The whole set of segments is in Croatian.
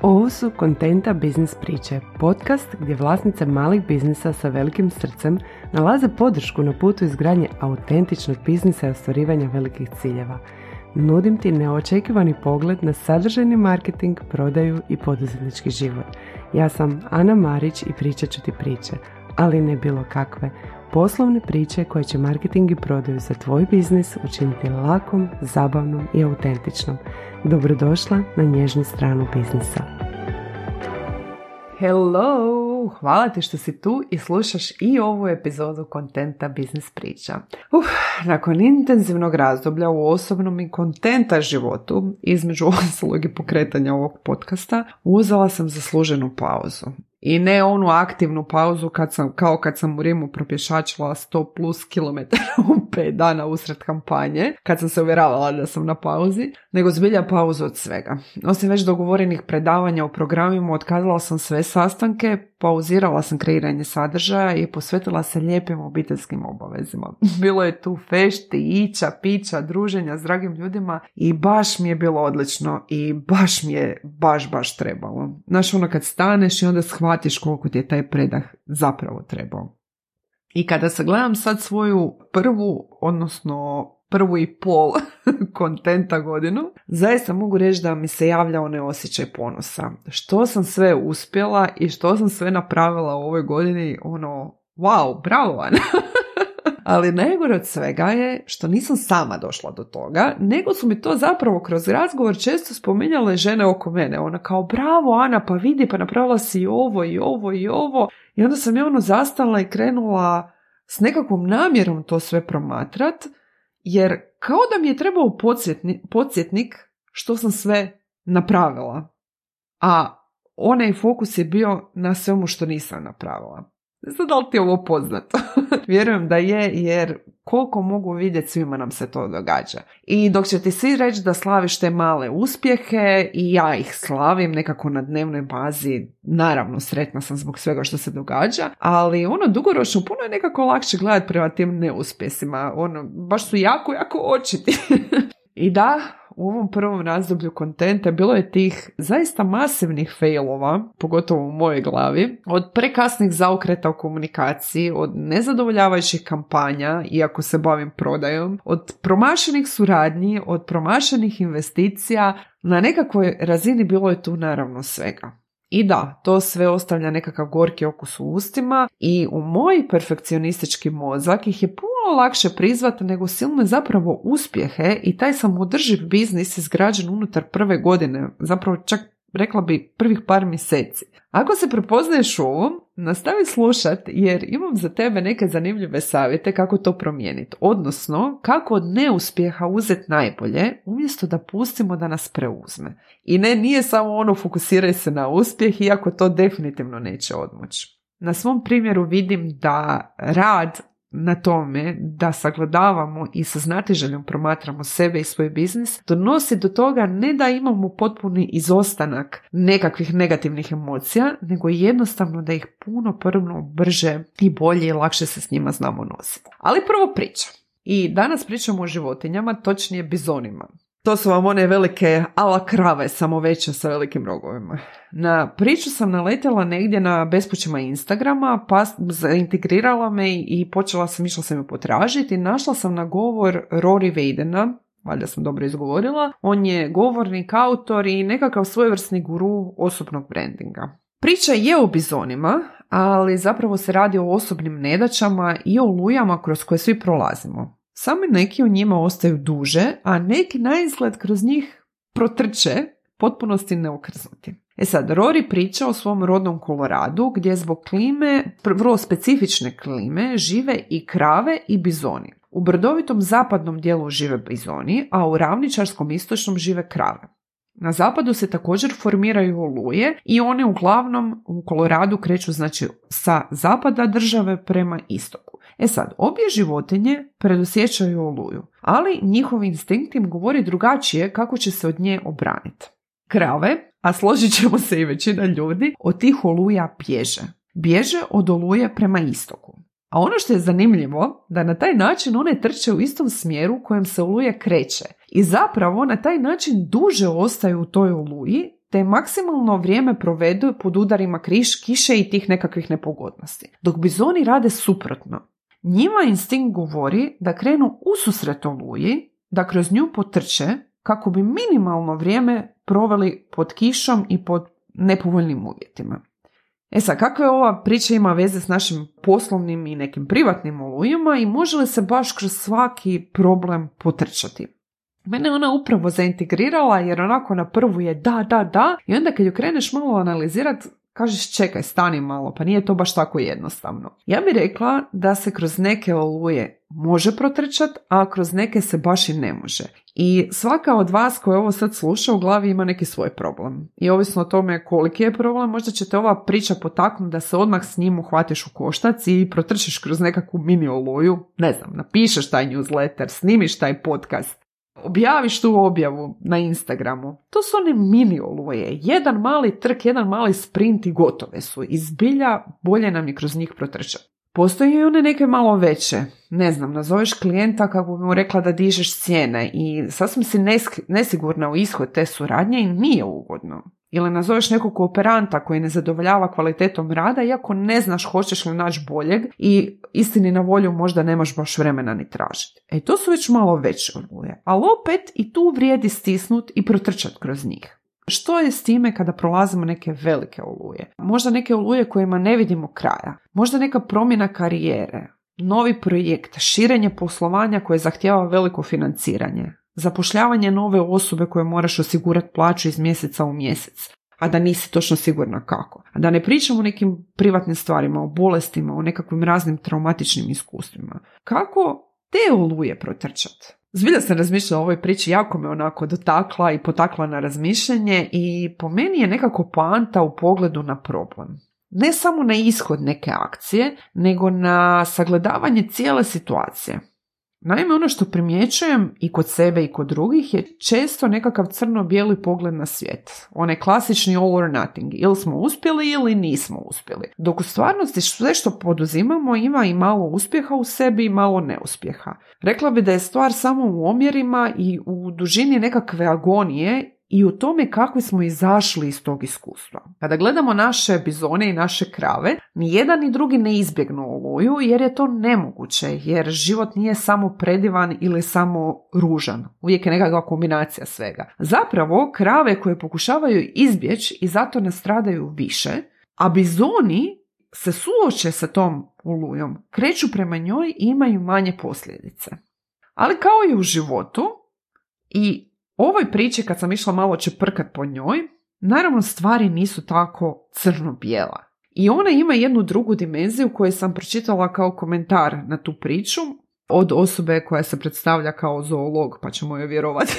Ovo su Kontenta biznis priče, podcast gdje vlasnice malih biznisa sa velikim srcem nalaze podršku na putu izgradnje autentičnog biznisa i ostvarivanja velikih ciljeva. Nudim ti neočekivani pogled na sadržajni marketing, prodaju i poduzetnički život. Ja sam Ana Marić i pričat ću ti priče, ali ne bilo kakve. Poslovne priče koje će marketing i prodaju za tvoj biznis učiniti lakom, zabavnom i autentičnom. Dobrodošla na nježnu stranu biznisa. Hello! Hvala ti što si tu i slušaš i ovu epizodu Kontenta biznis priča. Nakon intenzivnog razdoblja u osobnom i kontenta životu, između ostalog i pokretanja ovog podcasta, uzela sam zasluženu pauzu. I ne onu aktivnu pauzu kad sam u Rimu propješačila 100 plus kilometara u 5 dana usred kampanje, kad sam se uvjeravala da sam na pauzi, nego zbilja pauzu od svega. Osim već dogovorenih predavanja u programima, otkazala sam sve sastanke, pauzirala sam kreiranje sadržaja i posvetila se lijepim obiteljskim obavezima. Bilo je tu fešti, ića, pića, druženja s dragim ljudima i baš mi je bilo odlično i baš mi je baš trebalo. Znaš, ono kad staneš i onda shvatiš koliko ti je taj predah zapravo trebao. I kada sagledam sad svoju prvu i pol kontenta godinu, zaista mogu reći da mi se javlja onaj osjećaj ponosa. Što sam sve uspjela i što sam sve napravila u ovoj godini, wow, bravo Ana! Ali najgore od svega je što nisam sama došla do toga, nego su mi to zapravo kroz razgovor često spominjale žene oko mene. Ona kao, bravo Ana, pa vidi, pa napravila si i ovo. I onda sam ja zastala i krenula s nekakvom namjerom to sve promatrat, jer kao da mi je trebao podsjetnik što sam sve napravila. A onaj fokus je bio na svemu što nisam napravila. Ne znam da li ti je ovo poznato. Vjerujem da je, jer koliko mogu vidjeti, svima nam se to događa. I dok će ti svi reći da slaviš te male uspjehe, i ja ih slavim nekako na dnevnoj bazi, naravno sretna sam zbog svega što se događa, ali dugoročno puno je nekako lakše gledati prema tim neuspjesima. Baš su jako očiti. I da, u ovom prvom razdoblju kontenta bilo je tih zaista masivnih failova, pogotovo u mojoj glavi, od prekasnih zaokreta u komunikaciji, od nezadovoljavajućih kampanja, iako se bavim prodajom, od promašenih suradnji, od promašenih investicija. Na nekakvoj razini bilo je tu naravno svega. I da, to sve ostavlja nekakav gorki okus u ustima i u moj perfekcionistički mozak ih je puno lakše prizvati nego silne zapravo uspjehe i taj samoodrživ biznis izgrađen unutar prve godine, zapravo čak rekla bi prvih par mjeseci. Ako se prepoznaješ u ovom, nastavi slušat jer imam za tebe neke zanimljive savjete kako to promijeniti, odnosno kako od neuspjeha uzeti najbolje umjesto da pustimo da nas preuzme. I nije samo fokusiraj se na uspjeh, iako to definitivno neće odmoći. Na svom primjeru vidim da rad na tome da sagledavamo i sa znatiželjom promatramo sebe i svoj biznis donosi do toga ne da imamo potpuni izostanak nekakvih negativnih emocija, nego jednostavno da ih puno brže i bolje i lakše se s njima znamo nositi. Ali prvo priča. I danas pričamo o životinjama, točnije bizonima. To su vam one velike ala krave, samo veće sa velikim rogovima. Na priču sam naletjela negdje na bespućima Instagrama, pa zaintegrirala me i išla sam ju potražiti i našla sam na govor Rory Vadena, valjda sam dobro izgovorila. On je govornik, autor i nekakav svojevrsni guru osobnog brandinga. Priča je o bizonima, ali zapravo se radi o osobnim nedaćama i o olujama kroz koje svi prolazimo. Samo neki u njima ostaju duže, a neki naizgled kroz njih protrče, potpunosti neokrznuti. Sad, Rory priča o svom rodnom Koloradu, gdje zbog klime, vrlo specifične klime, žive i krave i bizoni. U brdovitom zapadnom dijelu žive bizoni, a u ravničarskom istočnom žive krave. Na zapadu se također formiraju oluje i one uglavnom u Koloradu kreću sa zapada države prema istoku. Sad, obje životinje predosjećaju oluju, ali njihov instinkt im govori drugačije kako će se od nje obraniti. Krave, a složit ćemo se i većina ljudi, od tih oluja bježe. Bježe od oluje prema istoku. A ono što je zanimljivo, da na taj način one trče u istom smjeru kojem se oluja kreće. I zapravo na taj način duže ostaju u toj oluji, te maksimalno vrijeme provedu pod udarima kiše i tih nekakvih nepogodnosti. Dok bizoni rade suprotno. Njima instinkt govori da krenu ususret oluji, da kroz nju potrče kako bi minimalno vrijeme proveli pod kišom i pod nepovoljnim uvjetima. Sad, kakve ova priča ima veze s našim poslovnim i nekim privatnim olujama i može li se baš kroz svaki problem potrčati? Mene ona upravo zaintegrirala jer onako na prvu je da i onda kad ju kreneš malo analizirati, kažeš čekaj, stani malo, pa nije to baš tako jednostavno. Ja bih rekla da se kroz neke oluje može protrčati, a kroz neke se baš i ne može. I svaka od vas koja ovo sad sluša u glavi ima neki svoj problem. I ovisno o tome koliki je problem, možda će te ova priča potaknuti da se odmah s njim uhvatiš u koštac i protrčiš kroz nekakvu mini oluju. Ne znam, napišeš taj newsletter, snimiš taj podcast, objaviš tu objavu na Instagramu. To su one mini oluje. Jedan mali trk, jedan mali sprint i gotove su. I zbilja bolje nam je kroz njih protrčati. Postoje i one neke malo veće. Ne znam, nazoveš klijenta kako bi mu rekla da dižeš cijene i sasvim si nesigurna u ishod te suradnje i nije ugodno. Ili nazoveš nekog kooperanta koji ne zadovoljava kvalitetom rada iako ne znaš hoćeš li naći boljeg i istini na volju možda nemaš baš vremena ni tražiti. To su već malo veće oluje. Ali opet i tu vrijedi stisnut i protrčati kroz njih. Što je s time kada prolazimo neke velike oluje? Možda neke oluje kojima ne vidimo kraja. Možda neka promjena karijere, novi projekt, širenje poslovanja koje zahtijeva veliko financiranje, zapošljavanje nove osobe koje moraš osigurati plaću iz mjeseca u mjesec, a da nisi točno sigurna kako. A da ne pričamo o nekim privatnim stvarima, o bolestima, o nekakvim raznim traumatičnim iskustvima. Kako te oluje protrčati? Zbilja sam razmišljala o ovoj priči, jako me onako dotakla i potakla na razmišljanje i po meni je nekako poanta u pogledu na problem. Ne samo na ishod neke akcije, nego na sagledavanje cijele situacije. Naime, ono što primjećujem i kod sebe i kod drugih je često nekakav crno-bijeli pogled na svijet. Onaj klasični all or nothing. Ili smo uspjeli ili nismo uspjeli. Dok u stvarnosti sve što poduzimamo ima i malo uspjeha u sebi i malo neuspjeha. Rekla bi da je stvar samo u omjerima i u dužini nekakve agonije i u tome kako smo izašli iz tog iskustva. Kada gledamo naše bizone i naše krave, ni jedan ni drugi ne izbjegnu oluju jer je to nemoguće, jer život nije samo predivan ili samo ružan. Uvijek je nekakva kombinacija svega. Zapravo, krave koje pokušavaju izbjeći i zato nastradaju više, a bizoni se suoče sa tom olujom, kreću prema njoj i imaju manje posljedice. Ali kao i u životu i ovoj priči kad sam išla malo čeprkat po njoj, naravno stvari nisu tako crno-bijela. I ona ima jednu drugu dimenziju koju sam pročitala kao komentar na tu priču od osobe koja se predstavlja kao zoolog, pa ćemo joj vjerovati.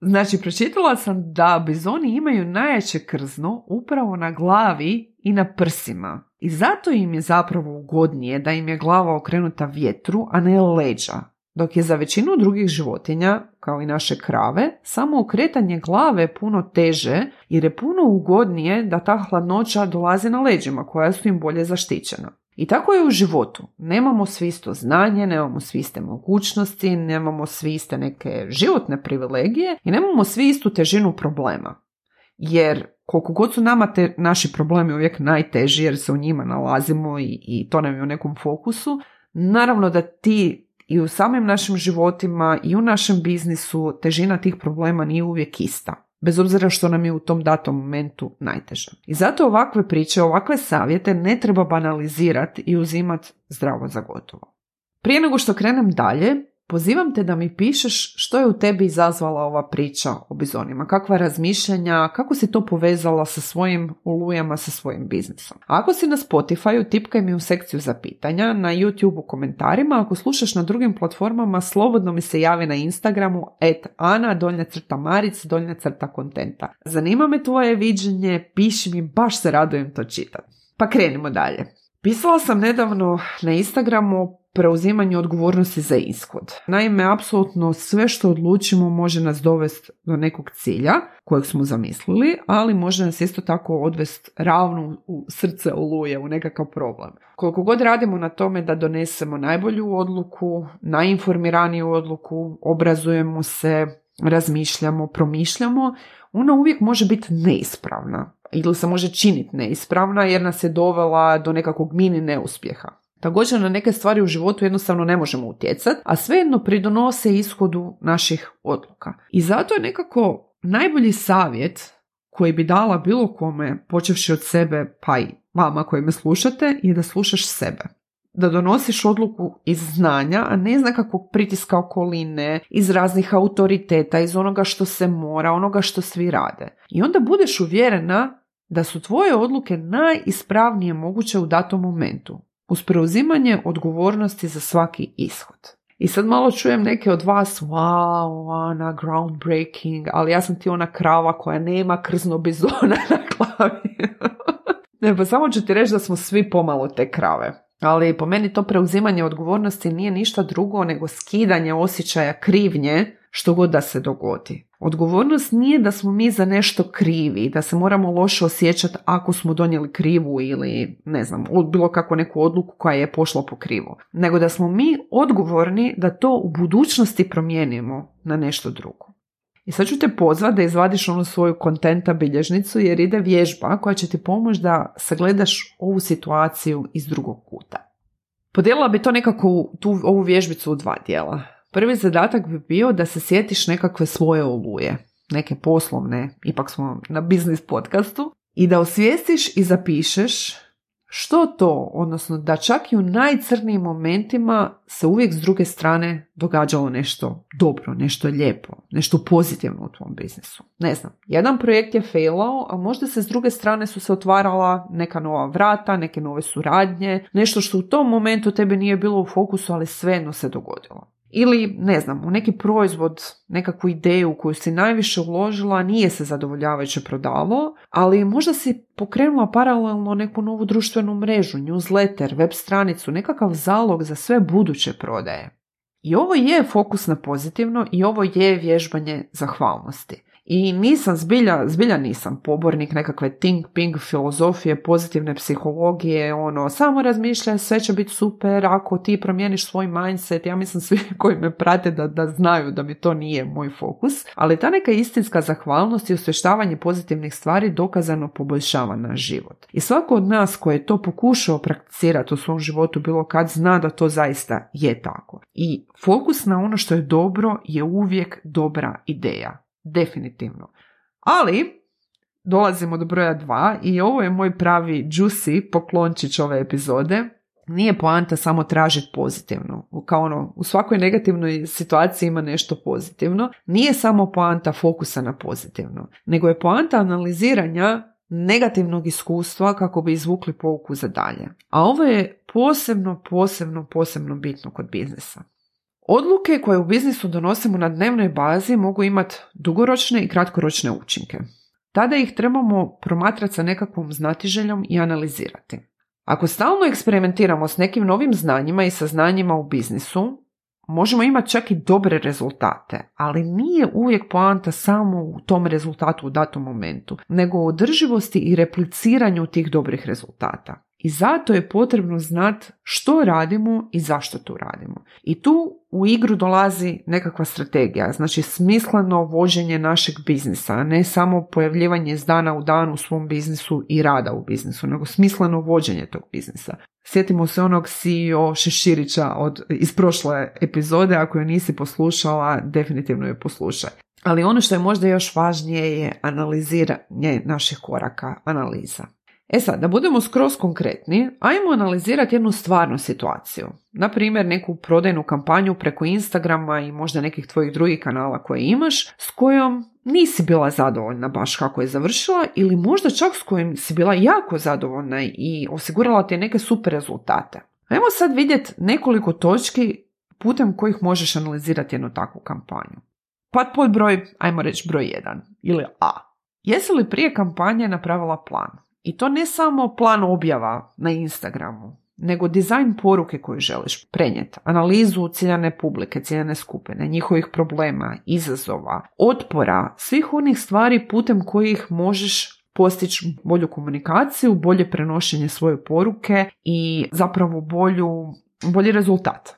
Znači, pročitala sam da bizoni imaju najjače krzno upravo na glavi i na prsima. I zato im je zapravo ugodnije da im je glava okrenuta vjetru, a ne leđa. Dok je za većinu drugih životinja, kao i naše krave, samo okretanje glave puno teže jer je puno ugodnije da ta hladnoća dolazi na leđima koja su im bolje zaštićena. I tako je u životu. Nemamo svi isto znanje, nemamo svi iste mogućnosti, nemamo svi iste neke životne privilegije i nemamo svi istu težinu problema. Jer koliko god su nama naši problemi uvijek najteži jer se u njima nalazimo i to nam je u nekom fokusu, naravno da ti i u samim našim životima i u našem biznisu težina tih problema nije uvijek ista, bez obzira što nam je u tom datom momentu najteže. I zato ovakve priče, ovakve savjete ne treba banalizirati i uzimati zdravo za gotovo. Prije nego što krenem dalje, pozivam te da mi pišeš što je u tebi izazvala ova priča o bizonima, kakva razmišljanja, kako si to povezala sa svojim olujama, sa svojim biznisom. A ako si na Spotifyu, tipkaj mi u sekciju za pitanja, na YouTube u komentarima, ako slušaš na drugim platformama, slobodno mi se javi na Instagramu @ana_maric_kontenta. Zanima me tvoje viđenje, piši mi, baš se radujem to čitati. Pa krenimo dalje. Pisala sam nedavno na Instagramu o preuzimanju odgovornosti za ishod. Naime, apsolutno sve što odlučimo može nas dovesti do nekog cilja kojeg smo zamislili, ali može nas isto tako odvesti ravno u srce oluje, u nekakav problem. Koliko god radimo na tome da donesemo najbolju odluku, najinformiraniju odluku, obrazujemo se, razmišljamo, promišljamo, ona uvijek može biti neispravna ili se može činiti neispravna jer nas je dovela do nekakvog mini neuspjeha. Također na neke stvari u životu jednostavno ne možemo utjecati, a svejedno pridonose ishodu naših odluka. I zato je nekako najbolji savjet koji bi dala bilo kome, počevši od sebe, pa i vama koji me slušate, je da slušaš sebe. Da donosiš odluku iz znanja, a ne iz nekakvog pritiska okoline, iz raznih autoriteta, iz onoga što se mora, onoga što svi rade. I onda budeš uvjerena da su tvoje odluke najispravnije moguće u datom momentu, uz preuzimanje odgovornosti za svaki ishod. I sad malo čujem neke od vas, wow, Ana, groundbreaking, ali ja sam ti ona krava koja nema krzno bizona na glavi. Ne, pa samo ću ti reći da smo svi pomalo te krave. Ali po meni to preuzimanje odgovornosti nije ništa drugo nego skidanje osjećaja krivnje što god da se dogodi. Odgovornost nije da smo mi za nešto krivi, da se moramo loše osjećati ako smo donijeli krivu ili ne znam, bilo kako neku odluku koja je pošla po krivu. Nego da smo mi odgovorni da to u budućnosti promijenimo na nešto drugo. I sad ću te pozvati da izvadiš onu svoju kontenta bilježnicu jer ide vježba koja će ti pomoći da sagledaš ovu situaciju iz drugog kuta. Podijelila bi to nekako ovu vježbicu u 2 dijela. Prvi zadatak bi bio da se sjetiš nekakve svoje oluje, neke poslovne, ipak smo na biznis podcastu, i da osvijestiš i zapišeš što to, odnosno da čak i u najcrnijim momentima se uvijek s druge strane događalo nešto dobro, nešto lijepo, nešto pozitivno u tvom biznisu. Ne znam, jedan projekt je failao, a možda se s druge strane su se otvarala neka nova vrata, neke nove suradnje, nešto što u tom momentu tebi nije bilo u fokusu, ali svejedno se dogodilo. Ili, ne znam, u neki proizvod, nekakvu ideju koju si najviše uložila, nije se zadovoljavajuće prodavao, ali možda si pokrenula paralelno neku novu društvenu mrežu, newsletter, web stranicu, nekakav zalog za sve buduće prodaje. I ovo je fokus na pozitivno i ovo je vježbanje zahvalnosti. I nisam, zbilja nisam pobornik nekakve think ping filozofije, pozitivne psihologije, samo razmišljaj, sve će biti super, ako ti promijeniš svoj mindset. Ja mislim svi koji me prate da znaju da mi to nije moj fokus, ali ta neka istinska zahvalnost i osvještavanje pozitivnih stvari dokazano poboljšava naš život. I svako od nas koji je to pokušao prakticirati u svom životu bilo kad zna da to zaista je tako. I fokus na ono što je dobro je uvijek dobra ideja. Definitivno. Ali dolazimo do broja 2 i ovo je moj pravi juicy poklončić ove epizode. Nije poanta samo tražiti pozitivno. Kao u svakoj negativnoj situaciji ima nešto pozitivno. Nije samo poanta fokusa na pozitivno, nego je poanta analiziranja negativnog iskustva kako bi izvukli pouku za dalje. A ovo je posebno bitno kod biznisa. Odluke koje u biznisu donosimo na dnevnoj bazi mogu imati dugoročne i kratkoročne učinke. Tada ih trebamo promatrati sa nekakvom znatiželjom i analizirati. Ako stalno eksperimentiramo s nekim novim znanjima i saznanjima u biznisu, možemo imati čak i dobre rezultate, ali nije uvijek poanta samo u tom rezultatu u datom momentu, nego u održivosti i repliciranju tih dobrih rezultata. I zato je potrebno znati što radimo i zašto to radimo. I tu u igru dolazi nekakva strategija, znači smisleno vođenje našeg biznisa, a ne samo pojavljivanje iz dana u dan u svom biznisu i rada u biznisu, nego smisleno vođenje tog biznisa. Sjetimo se onog CEO Šeširića iz prošle epizode, ako je nisi poslušala, definitivno je poslušaj. Ali ono što je možda još važnije je analiziranje naših koraka, analiza. Sad, da budemo skroz konkretni, ajmo analizirati jednu stvarnu situaciju. Na primjer, neku prodajnu kampanju preko Instagrama i možda nekih tvojih drugih kanala koje imaš, s kojom nisi bila zadovoljna baš kako je završila ili možda čak s kojim si bila jako zadovoljna i osigurala ti neke super rezultate. Ajmo sad vidjeti nekoliko točki putem kojih možeš analizirati jednu takvu kampanju. Pa pod ajmo reći broj 1 ili A. Jesi li prije kampanje napravila plan? I to ne samo plan objava na Instagramu, nego dizajn poruke koju želiš prenijeti, analizu ciljane publike, ciljane skupine, njihovih problema, izazova, otpora, svih onih stvari putem kojih možeš postići bolju komunikaciju, bolje prenošenje svoje poruke i zapravo bolji rezultat.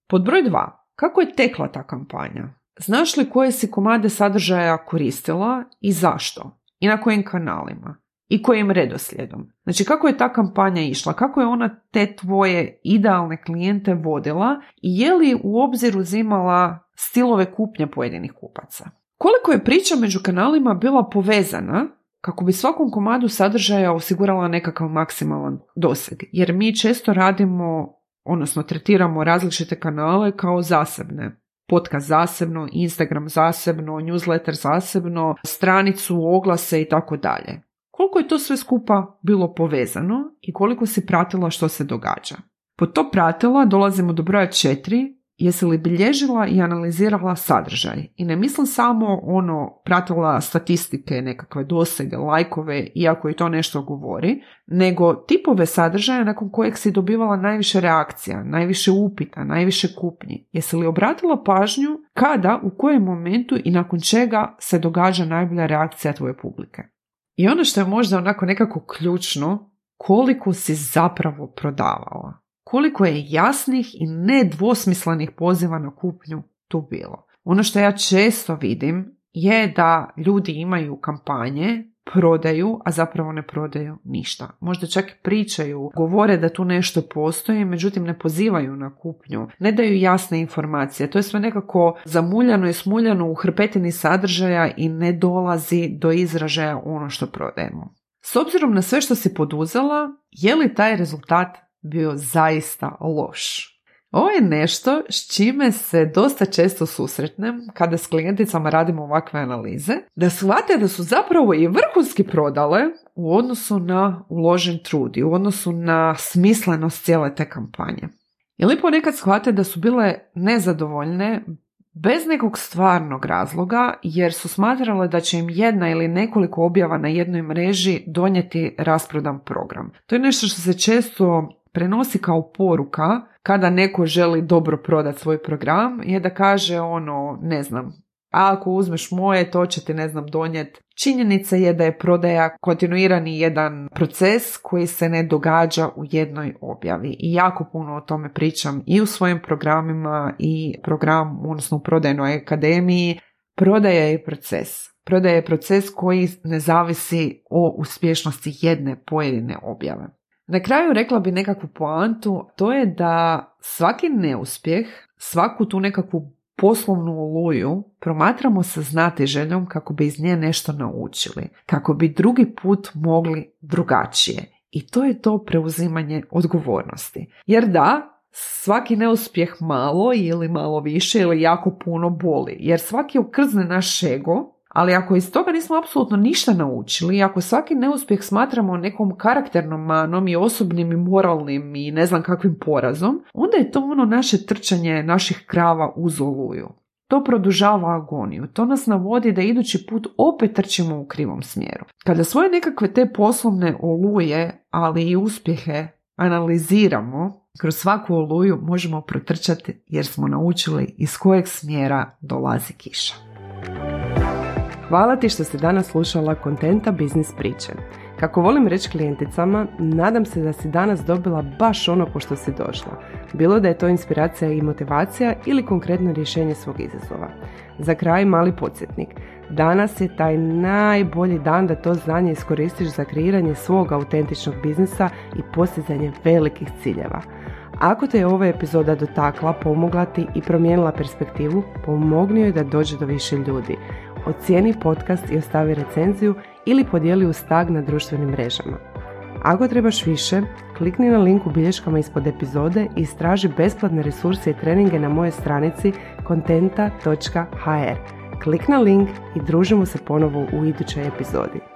Pod broj 2. Kako je tekla ta kampanja? Znaš li koje si komade sadržaja koristila i zašto? I na kojim kanalima? I kojim redoslijedom? Znači, kako je ta kampanja išla? Kako je ona te tvoje idealne klijente vodila? I je li u obzir uzimala stilove kupnje pojedinih kupaca? Koliko je priča među kanalima bila povezana kako bi svakom komadu sadržaja osigurala nekakav maksimalan doseg? Jer mi često radimo, odnosno tretiramo različite kanale kao zasebne. Podcast zasebno, Instagram zasebno, newsletter zasebno, stranicu, oglase i tako dalje. Koliko je to sve skupa bilo povezano i koliko si pratila što se događa? Pod to pratila dolazimo do broja 4. Jesi li bilježila i analizirala sadržaj? I ne mislim samo pratila statistike, nekakve dosege, lajkove, iako i to nešto govori, nego tipove sadržaja nakon kojeg si dobivala najviše reakcija, najviše upita, najviše kupnji. Jesi li obratila pažnju kada, u kojem momentu i nakon čega se događa najbolja reakcija tvoje publike? I ono što je možda nekako ključno, koliko si zapravo prodavala. Koliko je jasnih i nedvosmislenih poziva na kupnju tu bilo. Ono što ja često vidim je da ljudi imaju kampanje, prodaju, a zapravo ne prodaju ništa. Možda čak pričaju, govore da tu nešto postoji, međutim ne pozivaju na kupnju, ne daju jasne informacije. To je sve nekako zamuljano i smuljano u hrpetini sadržaja i ne dolazi do izražaja ono što prodajemo. S obzirom na sve što si poduzela, je li taj rezultat bio zaista loš? Ovo je nešto s čime se dosta često susretnem kada s klijenticama radimo ovakve analize, da shvate da su zapravo i vrhunski prodale u odnosu na uložen trud i u odnosu na smislenost cijele te kampanje. Ili ponekad shvate da su bile nezadovoljne bez nekog stvarnog razloga jer su smatrale da će im jedna ili nekoliko objava na jednoj mreži donijeti rasprodan program. To je nešto što se često prenosi kao poruka kada neko želi dobro prodati svoj program, je da kaže ako uzmeš moje, to će ti donijeti. Činjenica je da je prodaja kontinuirani jedan proces koji se ne događa u jednoj objavi. I jako puno o tome pričam i u svojim programima i u prodajnoj akademiji. Prodaja je proces. Prodaja je proces koji ne zavisi o uspješnosti jedne pojedine objave. Na kraju rekla bi nekakvu poantu, to je da svaki neuspjeh, svaku tu nekakvu poslovnu oluju promatramo sa znatiželjom kako bi iz nje nešto naučili, kako bi drugi put mogli drugačije. I to je to preuzimanje odgovornosti. Jer da, svaki neuspjeh malo ili malo više ili jako puno boli, jer svaki okrzne naš ego. Ali ako iz toga nismo apsolutno ništa naučili, ako svaki neuspjeh smatramo nekom karakternom manom i osobnim i moralnim i ne znam kakvim porazom, onda je to naše trčanje naših krava uz oluju. To produžava agoniju, to nas navodi da idući put opet trčimo u krivom smjeru. Kada svoje nekakve te poslovne oluje, ali i uspjehe analiziramo, kroz svaku oluju možemo protrčati jer smo naučili iz kojeg smjera dolazi kiša. Hvala ti što si danas slušala Kontenta biznis priče. Kako volim reći klijenticama, nadam se da si danas dobila baš ono po što si došla. Bilo da je to inspiracija i motivacija ili konkretno rješenje svog izazova. Za kraj mali podsjetnik. Danas je taj najbolji dan da to znanje iskoristiš za kreiranje svog autentičnog biznisa i postizanje velikih ciljeva. Ako te je ova epizoda dotakla, pomogla ti i promijenila perspektivu, pomogni joj da dođe do više ljudi. Ocijeni podcast i ostavi recenziju ili podijeli uz tag na društvenim mrežama. Ako trebaš više, klikni na link u bilješkama ispod epizode i istraži besplatne resurse i treninge na mojoj stranici kontenta.hr. Klik na link i družimo se ponovo u idućoj epizodi.